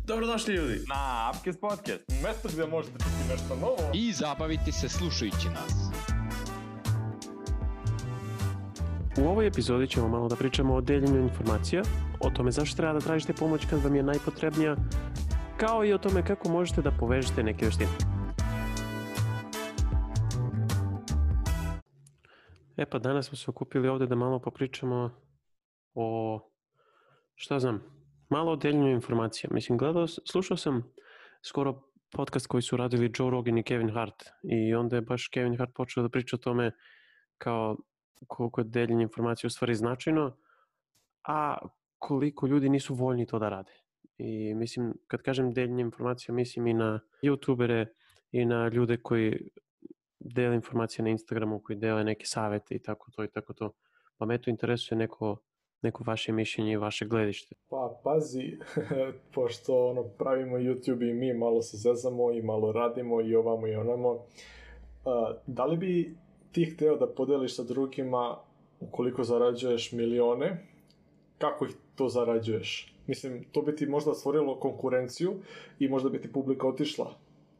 Dobrodošli ljudi na Upcast Podcast, mjesto gdje možete čuti nešto novo i zabaviti se slušajući nas. U ovoj epizodi ćemo malo da pričamo o deljenju informacija, o tome zašto treba da tražite pomoć kad vam je najpotrebnija, kao i o tome kako možete da povežete neke veštine. Pa danas smo se okupili ovdje da malo popričamo o, malo o deljenju informacija. Mislim, slušao sam skoro podcast koji su radili Joe Rogan i Kevin Hart i onda je baš Kevin Hart počeo da priča o tome kao koliko je deljenje informacija u stvari značajno, a koliko ljudi nisu voljni to da rade. I mislim, kad kažem deljenje informacija, mislim i na youtubere i na ljude koji dele informacije na Instagramu, koji dele neke savete i tako to. Pa me to interesuje neko vaše mišljenje i vaše gledište. Pa pazi, pošto pravimo YouTube i mi malo se zezamo i malo radimo i ovamo i onamo, da li bi ti hteo da podeliš sa drugima ukoliko zarađuješ milione, kako ih to zarađuješ? Mislim, to bi ti možda stvorilo konkurenciju i možda bi ti publika otišla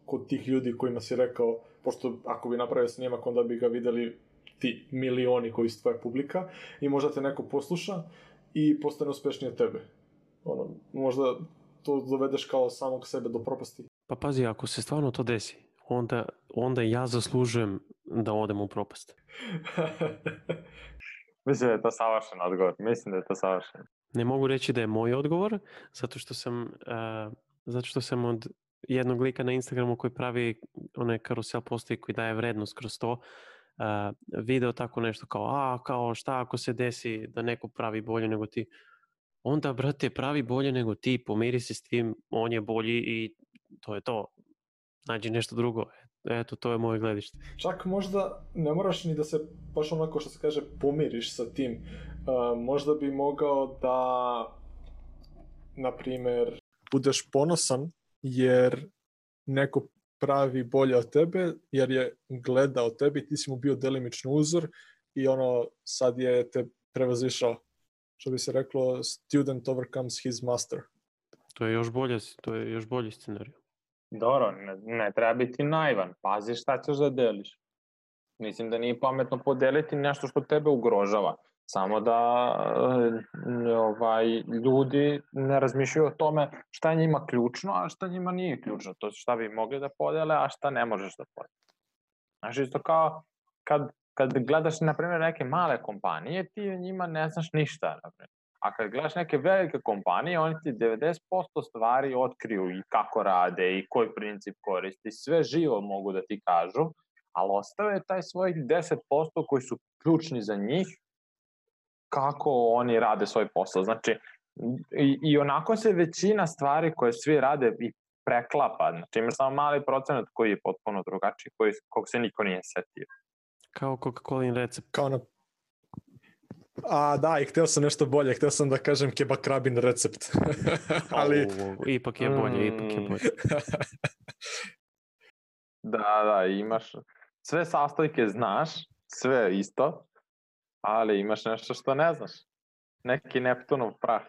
kod tih ljudi kojima si rekao, pošto ako bi napravio snimak, onda bi ga videli ti milioni koji su tvoja publika i možda te neko posluša i postane uspešniji od tebe. Možda to dovedeš kao samog sebe do propasti. Pa pazi, ako se stvarno to desi, onda ja zaslužujem da odem u propast. Mislim da je to savršen odgovor. Ne mogu reći da je moj odgovor, zato što sam od jednog lika na Instagramu koji pravi one karusel postoji koji daje vrednost kroz to, video tako nešto kao šta ako se desi da neko pravi bolje nego ti. Onda, brate, pravi bolje nego ti, pomiri se s tim, on je bolji i to je to. Nađi nešto drugo. Eto, to je moje gledište. Čak možda ne moraš ni da se baš onako što se kaže pomiriš sa tim. Možda bi mogao da, na primjer, budeš ponosan jer neko pravi bolje od tebe, jer je gledao tebe i ti si mu bio delimično uzor i sad je te prevazišao. Što bi se reklo, student overcomes his master. To je još bolji scenarij. Dobro, ne treba biti naivan. Pazi šta ćeš da deliš. Mislim da nije pametno podeliti nešto što tebe ugrožava. Samo da ljudi ne razmišljaju o tome šta je njima ključno, a šta njima nije ključno. To šta bi mogli da podele, a šta ne možeš da podele. Znači, isto kao kad gledaš, na primjer, neke male kompanije, ti o njima ne znaš ništa. A kad gledaš neke velike kompanije, oni ti 90% stvari otkriju i kako rade i koji princip koristi. Sve živo mogu da ti kažu, ali ostave taj svojih 10% koji su ključni za njih, kako oni rade svoj posao. Znači, i onako se većina stvari koje svi rade i preklapa. Znači, imaš samo mali procenat koji je potpuno drugačiji, kog se niko nije setio. Kao Coca-Colin recept. Da, i hteo sam nešto bolje. Hteo sam da kažem kebakrabin recept. Ali... Ipak je bolje. Da, imaš... Sve sastojke znaš, sve isto, ali imaš nešto što ne znaš. Neki Neptunov prah.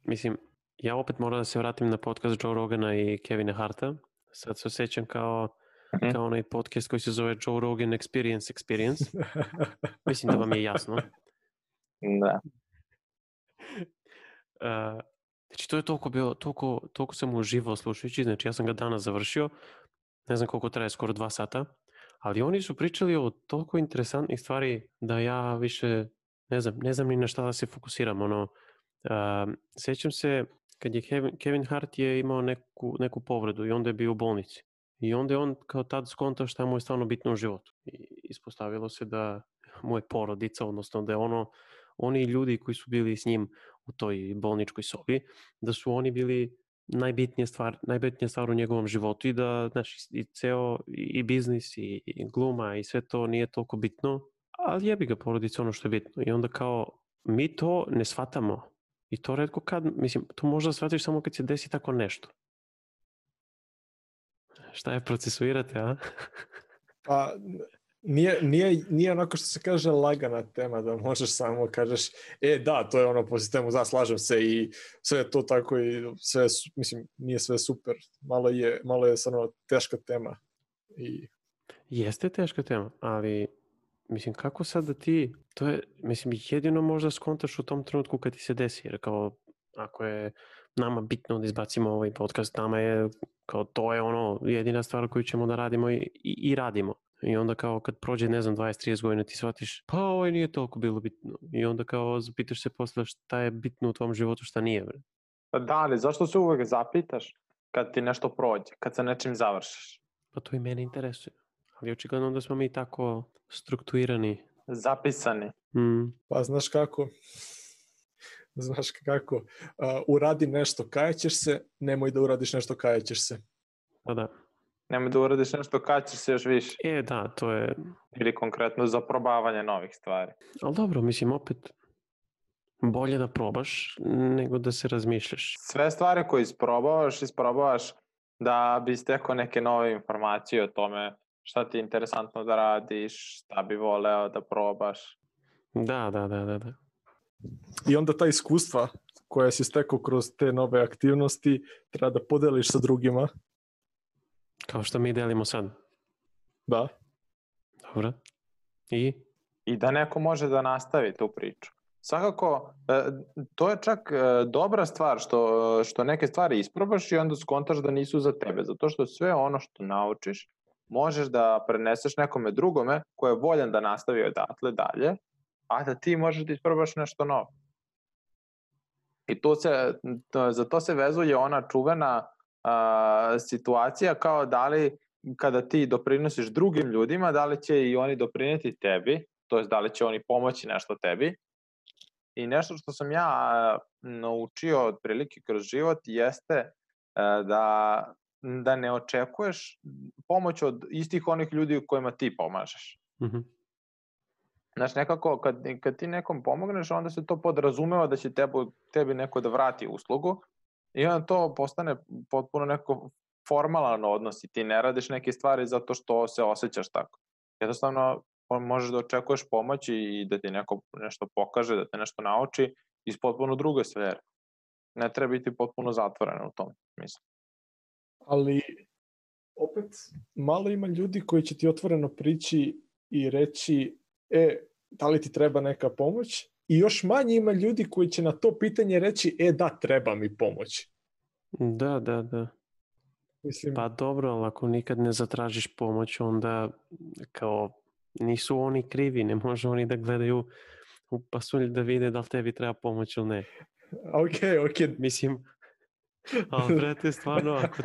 Mislim, ja opet moram da se vratim na podcast Joe Rogana i Kevina Harta. Sad se osjećam kao onaj podcast koji se zove Joe Rogan Experience. Mislim da vam je jasno. Da. Znači, to je toliko sam uživao slušajući. Znači, ja sam ga danas završio. Ne znam koliko traje, skoro 2 sata. Ali oni su pričali o toliko interesantnih stvari da ja više ne znam ni na šta da se fokusiram. Sjećam se kad je Kevin Hart je imao neku povredu i onda je bio u bolnici. I onda je on kao tad skontao šta mu je stvarno bitno u životu. I ispostavilo se da mu je porodica, odnosno da je oni ljudi koji su bili s njim u toj bolničkoj sobi, da su oni bili najbitnija stvar u njegovom životu i da, znaš, i ceo i biznis i gluma i sve to nije toliko bitno, ali jebi ga porodica ono što je bitno. I onda kao mi to ne shvatamo i to retko kad, mislim, to možda shvatiš samo kad se desi tako nešto. Šta je procesuirate, a? Pa, nije onako što se kaže lagana tema, da možeš samo kažeš, da, to je ono po sistemu, slažem se i sve je to tako i sve, mislim, nije sve super, malo je stvarno teška tema. Jeste teška tema, ali mislim, kako sad da ti, to je, mislim, jedino možda skontaš u tom trenutku kad ti se desi, jer kao, ako je nama bitno da izbacimo ovaj podcast, nama je, kao, to je ono, jedina stvar koju ćemo da radimo i radimo. I onda kao kad prođe, ne znam, 20-30 godina ti shvatiš, pa ovo nije toliko bilo bitno. I onda kao zapitaš se posle šta je bitno u tvom životu, šta nije. Bre. Da, ali zašto se uvek zapitaš kad ti nešto prođe, kad se nečim završiš? Pa to i mene interesuje. Ali očigledno da smo mi tako strukturirani. Zapisani. Pa znaš kako? Uradi nešto, kajećeš se, nemoj da uradiš nešto, kajećeš se. Pa da. Nemoj da uradiš nešto, kajećeš se još više. Da, to je... Ili konkretno za probavanje novih stvari. Ali dobro, mislim, opet bolje da probaš nego da se razmišljaš. Sve stvari koje isprobavaš da bi stekao neke nove informacije o tome šta ti je interesantno da radiš, šta bi voleo da probaš. Da. I onda ta iskustva koja si stekao kroz te nove aktivnosti treba da podeliš sa drugima. Kao što mi delimo sad. Da. Dobro. I da neko može da nastavi tu priču. Svakako, to je čak dobra stvar što neke stvari isprobaš i onda skontaš da nisu za tebe. Zato što sve ono što naučiš možeš da preneseš nekome drugome ko je voljan da nastavi odatle dalje, a da ti možeš da isprobaš nešto novo. I za to se vezuje ona čuvena situacija kao da li kada ti doprinosiš drugim ljudima, da li će i oni doprineti tebi, to jest da li će oni pomoći nešto tebi. I nešto što sam ja naučio otprilike kroz život jeste da ne očekuješ pomoć od istih onih ljudi kojima ti pomažeš. Mm-hmm. Znaš, nekako kad ti nekom pomogneš, onda se to podrazumeva da će tebi neko da vrati uslugu i onda to postane potpuno neko formalan odnos i ti ne radiš neke stvari zato što se osjećaš tako. Jednostavno možeš da očekuješ pomoć i da ti neko nešto pokaže, da te nešto nauči iz potpuno druge sfere. Ne treba biti potpuno zatvoren u tom smislu. Ali opet malo ima ljudi koji će ti otvoreno prići i reći da li ti treba neka pomoć? I još manje ima ljudi koji će na to pitanje reći da, treba mi pomoć. Da. Mislim... Pa dobro, ali ako nikad ne zatražiš pomoć, onda kao nisu oni krivi, ne može oni da gledaju u pasulj da vide da li tebi treba pomoć ili ne. Ok. Mislim, ali brate, stvarno, ako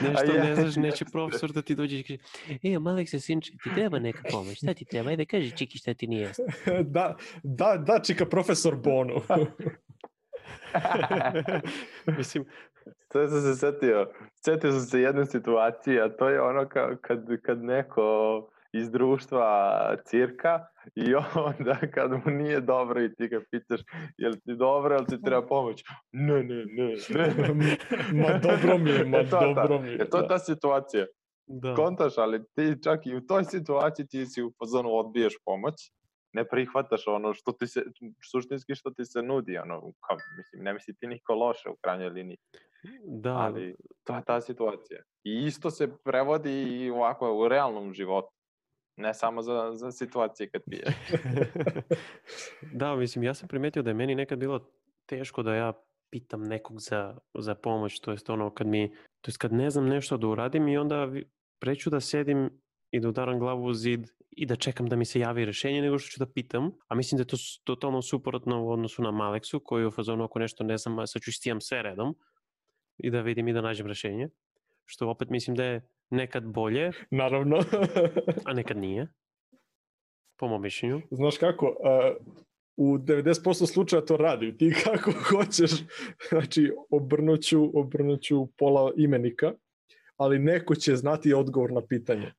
nešto ne znaš, neće profesor da ti dođe i kaže Aleksa, sinče, ti treba neka pomoć, šta ti treba? Ajde, kaži čiki šta ti nije jasno. Da, čika profesor Bonu. Mislim, to sam se setio sam se jedne situacije, a to je ono kad neko iz društva cirka i onda kad mu nije dobro i ti ga pitaš jel ti dobro, jel ti treba pomoć? Ne. Ma dobro mi je. Je to ta situacija? Da. Kontaš, ali ti čak i u toj situaciji ti si u fazonu odbiješ pomoć, ne prihvataš ono što ti se, suštinski što ti se nudi, mislim, ne misli ti niko loše u krajnjoj liniji. Da. Ali to je ta situacija. I isto se prevodi i ovako u realnom životu. Ne samo za situacije kad pije. Da, mislim, ja sam primetio da je meni nekad bilo teško da ja pitam nekog za pomoć, to jest ono kad ne znam nešto da uradim i onda preću da sedim i da udaram glavu u zid i da čekam da mi se javi rešenje nego što ću da pitam, a mislim da je to totalno suprotno u odnosu na Maleksu koji je u fazonu ako nešto ne znam, sad ću istijam sve redom i da vidim i da nađem rešenje, što opet mislim da je nekad bolje. Naravno. A nekad nije. Po mom mišljenju. Znaš kako, u 90% slučaja to radi. Ti kako hoćeš, znači obrnuću pola imenika, ali neko će znati odgovor na pitanje.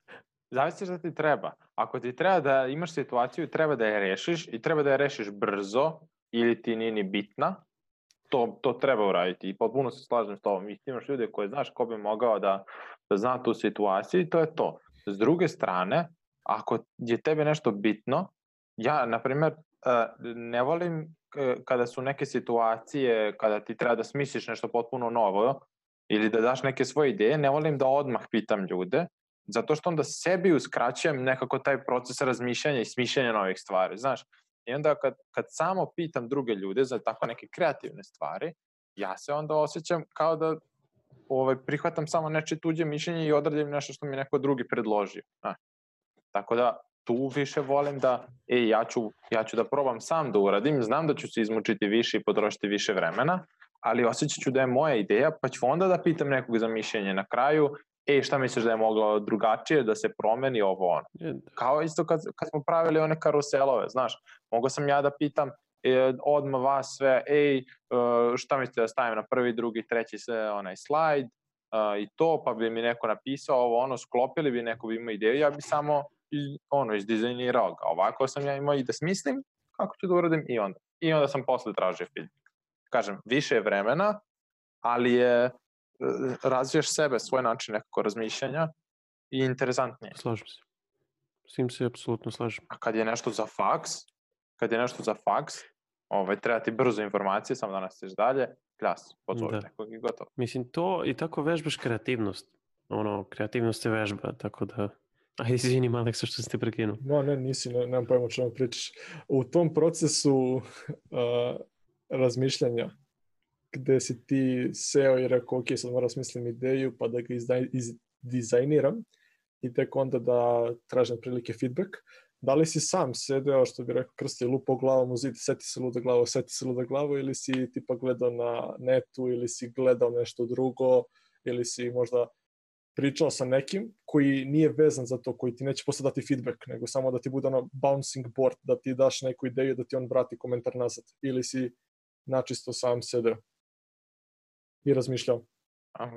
Zavisi šta ti treba. Ako ti treba da imaš situaciju, treba da je rešiš i treba da je rešiš brzo ili ti nije ni bitna, to treba uraditi i potpuno se slažem s tobom. I ti imaš ljude koje znaš ko bi mogao da zna tu situaciju i to je to. S druge strane, ako je tebi nešto bitno, ja, na primjer, ne volim kada su neke situacije, kada ti treba da smisliš nešto potpuno novo ili da daš neke svoje ideje, ne volim da odmah pitam ljude, zato što onda sebi uskraćujem nekako taj proces razmišljanja i smišljanja novih stvari, znaš. I onda kad samo pitam druge ljude za tako neke kreativne stvari, ja se onda osjećam kao da prihvatam samo nečije tuđe mišljenje i odradim nešto što mi neko drugi predložio. Znaš. Tako da tu više volim da ja ću da probam sam da uradim, znam da ću se izmučiti više i potrošiti više vremena, ali osjećat ću da je moja ideja, pa ću onda da pitam nekog za mišljenje na kraju, šta misliš da je moglo drugačije da se promeni ovo ono. Kao isto kad smo pravili one karuselove, znaš, mogao sam ja da pitam odmah vas sve, šta mislite da stavim na prvi, drugi, treći onaj slajd i to, pa bi mi neko napisao ovo ono, sklopili bi, neko bi imao ideju, ja bi samo izdizajnirao ga. Ovako sam ja imao i da smislim kako ću da uradim i onda sam posle tražio feedback. Kažem, više je vremena, ali je razviješ sebe, svoj način nekako razmišljanja i interesantnije. Slažem se. S tim se apsolutno slažem. A kad je nešto za faks, treba ti brzo informacije, samo da nastaviš dalje, pozove nekog i gotovo. Mislim, to i tako vežbaš kreativnost. Kreativnost je vežba, tako da... izvinim, Aleksa, što ste prekinuo. No, ne, nemam pojma o čemu pričaš. U tom procesu razmišljanja, gde si ti seo i rekao, ok, sad moram smislim ideju, pa da ga izdizajniram i tek onda da tražim prilike feedback. Da li si sam sedeo, što bi rekao Krsti, lupao glavom u zid, seti se luda glavo, ili si tipa gledao na netu, ili si gledao nešto drugo, ili si možda pričao sa nekim koji nije vezan za to, koji ti neće posle dati feedback, nego samo da ti bude bouncing board, da ti daš neku ideju, da ti on vrati komentar nazad. Ili si načisto sam sedeo i razmišljao.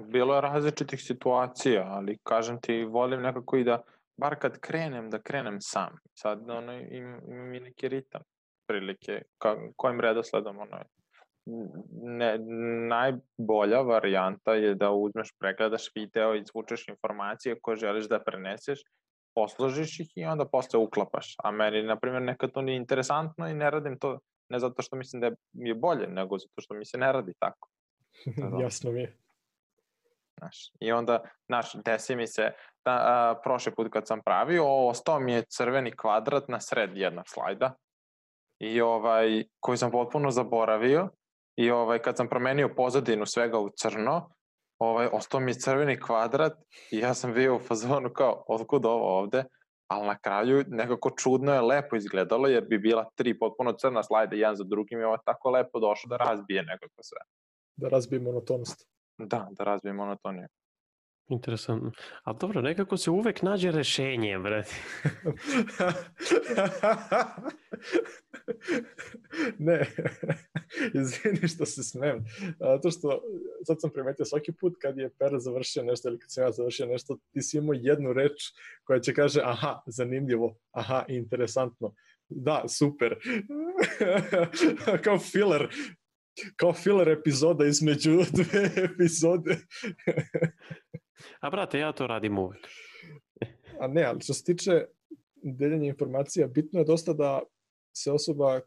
Bilo je različitih situacija, ali kažem ti, volim nekako i da, bar kad krenem, da krenem sam. Sad imam i neki ritam prilike, kojim redosledom najbolja varijanta je da uzmeš, pregledaš video, izvučeš informacije koje želiš da preneseš, posložiš ih i onda posle uklapaš. A meni, na primjer, nekad to nije interesantno i ne radim to, ne zato što mislim da je bolje, nego zato što mi se ne radi tako. Jasno mi je. I onda, desi mi se, prošli put kad sam pravio, ostao mi je crveni kvadrat na sred jednog slajda i koji sam potpuno zaboravio. I kad sam promenio pozadinu svega u crno, ostao mi je crveni kvadrat i ja sam bio u fazonu kao, otkud ovo ovde? Ali na kraju nekako čudno je lepo izgledalo, jer bi bila 3 potpuno crna slajda, jedan za drugim i ovo je tako lepo došlo da razbije nekako sve. Da razbije monotonost. Da razbije monotoniju. Interesantno. Ali dobro, nekako se uvek nađe rešenje, brate. Ne, izvini što se smijem. Zato što sad sam primetio svaki put kad je Pera završio nešto ili kad sam ja završio nešto, ti si imao jednu reč koja će kaže aha, zanimljivo, aha, interesantno. Da, super. Kao filler epizoda između 2 epizode. A brate, ja to radim uvek. A ne, ali što se tiče deljenja informacija, bitno je dosta da se osoba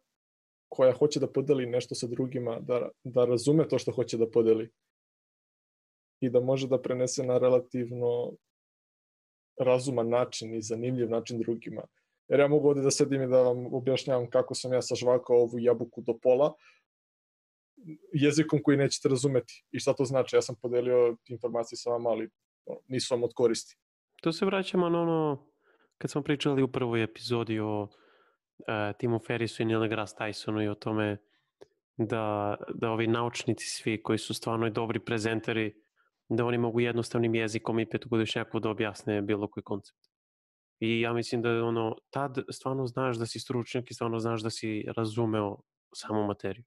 koja hoće da podeli nešto sa drugima, da razume to što hoće da podeli i da može da prenese na relativno razuman način i zanimljiv način drugima. Jer ja mogu ovdje da sedim i da vam objašnjavam kako sam ja sažvakao ovu jabuku do pola, jezikom koji nećete razumeti. I šta to znači? Ja sam podelio informacije sa vama, ali nisu vam od koristi. To se vraćamo na ono, kad smo pričali u prvoj epizodi o Timu Ferrisu i Neil deGrasse Tysonu i o tome da ovi naučnici svi koji su stvarno dobri prezenteri, da oni mogu jednostavnim jezikom i petogodišnjaku da objasne bilo koji koncept. I ja mislim da tad stvarno znaš da si stručnjak i stvarno znaš da si razumeo samu materiju.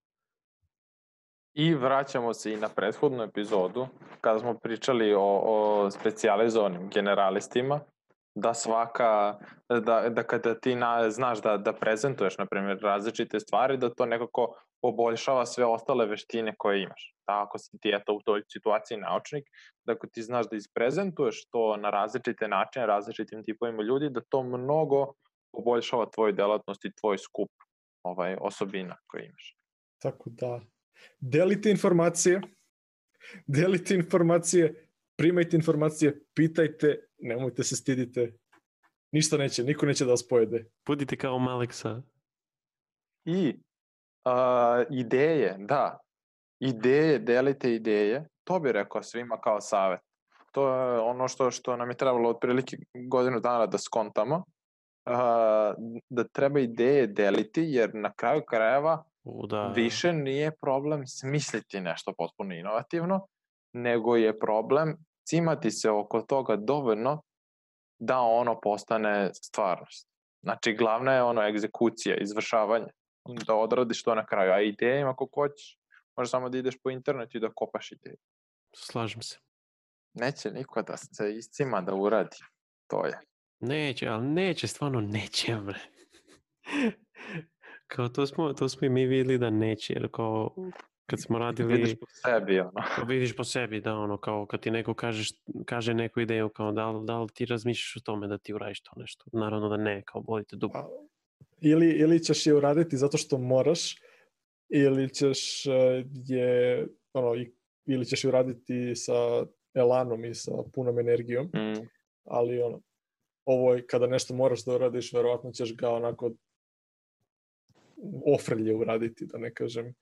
I vraćamo se i na prethodnu epizodu, kada smo pričali o specijalizovanim generalistima, da kada ti znaš da prezentuješ, na primjer, različite stvari, da to nekako poboljšava sve ostale veštine koje imaš. Ako si ti eto u toj situaciji naučnik, da ako ti znaš da isprezentuješ to na različite načine, različitim tipovima ljudi, da to mnogo poboljšava tvoju delatnost i tvoj skup osobina koje imaš. Tako da, delite informacije, primajte informacije, pitajte, nemojte se stidite, ništa neće, niko neće da vas pojede. Budite kao Maleksa. I ideje, da. Ideje, delite ideje. To bi rekao svima kao savjet. To je ono što nam je trebalo otprilike godinu dana da skontamo. Da treba ideje deliti, jer na kraju krajeva više nije problem smisliti nešto potpuno inovativno, nego je problem cimati se oko toga dovoljno da ono postane stvarnost. Znači, glavna je egzekucija, izvršavanje. Da odradiš to na kraju. A idejima, ako hoćeš, možeš samo da ideš po internetu i da kopaš ideje. Slažem se. Neće niko da se iscima da uradi. To je. Neće, ali neće, stvarno neće, bre. Kao to smo i mi vidjeli da neće, jer kao kad smo radili... Vidiš po sebi, Vidiš po sebi, da, kao kad ti neko kaže neku ideju, kao da li ti razmišljaš o tome da ti uradiš to nešto. Naravno da ne, kao bolite dupe. Ili ćeš je uraditi zato što moraš, ili ćeš ili ćeš je uraditi sa elanom i sa punom energijom, ali ovo je kada nešto moraš da uradiš, verovatno ćeš ga onako ofrlje uraditi, da ne kažem,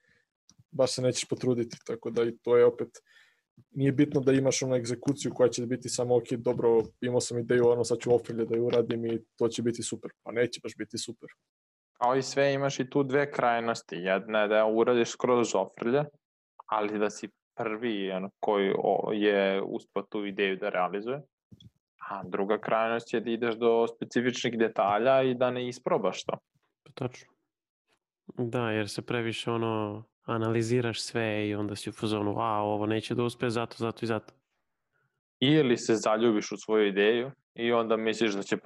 baš se nećeš potruditi, tako da i to je opet, nije bitno da imaš egzekuciju koja će biti samo ok, dobro, imao sam ideju, sad ću ofrlje da je uradim i to će biti super, pa neće baš biti super. Kao i sve imaš i tu dve krajnosti, jedna je da uradiš skroz ofrlje, ali da si prvi koji je uspio tu ideju da realizuje, a druga krajnost je da ideš do specifičnih detalja i da ne isprobaš to. Točno. Da, jer se previše analiziraš sve i onda si u fazonu, ovo neće da uspe zato i zato. Ili se zaljubiš u svoju ideju i onda misliš da će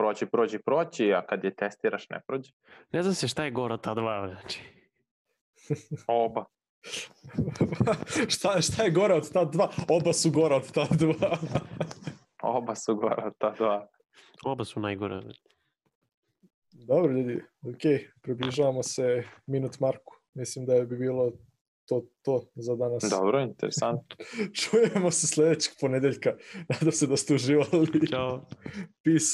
proći, a kad je testiraš ne prođe. Ne znam se šta je gore od ta dva, znači. Oba. Šta je gore od ta dva? Oba su gore od ta dva. Oba su gore od ta dva. Oba su najgore. Dobro, ljudi, ok, približavamo se minut marku. Mislim da bi bilo to za danas. Dobro, interesantno. Čujemo se sljedećeg ponedeljka. Nadam se da ste uživali. Ćao. Peace.